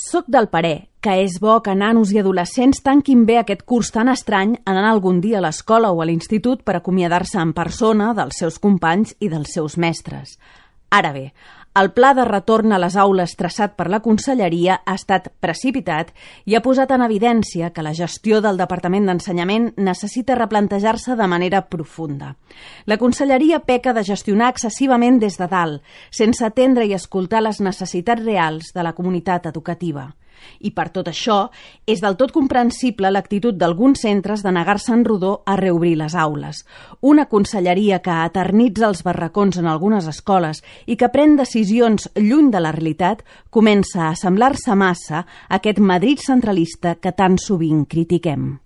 Soc del parer que és bo que nanos i adolescents tanquin bé aquest curs tan estrany anant algun dia a l'escola o a l'institut per acomiadar-se en persona dels seus companys i dels seus mestres. Ara bé, el pla de retorn a les aules traçat per la Conselleria ha estat precipitat i ha posat en evidència que la gestió del Departament d'Ensenyament necessita replantejar-se de manera profunda. La Conselleria peca de gestionar excessivament des de dalt, sense atendre i escoltar les necessitats reals de la comunitat educativa. I per tot això, és del tot comprensible l'actitud d'alguns centres de negar-se en rodó a reobrir les aules. Una conselleria que eternitza els barracons en algunes escoles i que pren decisions lluny de la realitat comença a assemblar-se massa a aquest Madrid centralista que tan sovint critiquem.